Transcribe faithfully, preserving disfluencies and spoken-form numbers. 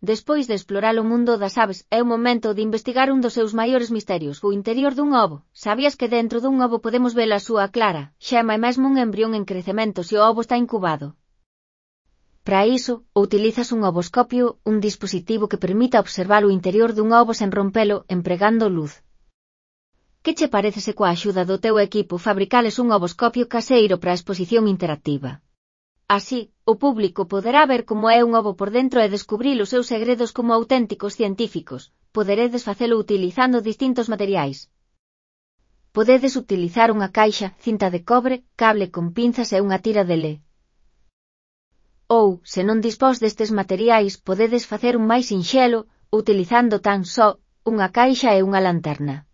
Despois de explorar o mundo das aves, é o momento de investigar un dos seus maiores misterios, o interior dun ovo. Sabías que dentro dun ovo podemos ver a súa clara, xema e mesmo un embrión en crecemento se o ovo está incubado? Para iso, utilizas un ovoscopio, un dispositivo que permita observar o interior dun ovo sen rompelo, empregando luz. Que che parece se coa axuda do teu equipo fabricales un ovoscopio caseiro para a exposición interactiva? Así, o público poderá ver como é un ovo por dentro e descubrir os seus segredos como auténticos científicos. Poderedes facelo utilizando distintos materiais. Podedes utilizar unha caixa, cinta de cobre, cable con pinzas e unha tira de lé. Ou, se non dispós destes materiais, podedes facer un máis sinxelo, utilizando tan só unha caixa e unha lanterna.